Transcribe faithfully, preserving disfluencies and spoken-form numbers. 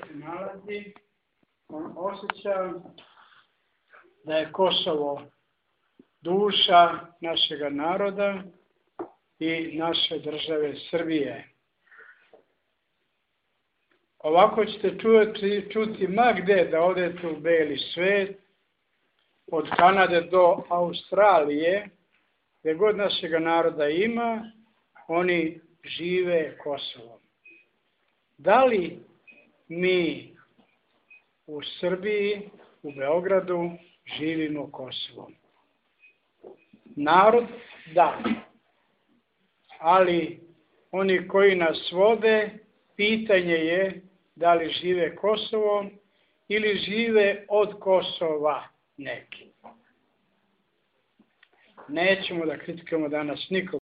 se nalazi, on osjeća da je Kosovo duša našega naroda i naše države Srbije. Ovako ćete čuti, čuti ma gde da odete u beli svet, od Kanade do Australije, gde god našega naroda ima, oni žive Kosovom. Da li mi u Srbiji, u Beogradu, živimo Kosovom? Narod, da. Ali oni koji nas vode, pitanje je da li žive Kosovom ili žive od Kosova neki. Nećemo da kritikujemo danas nikog.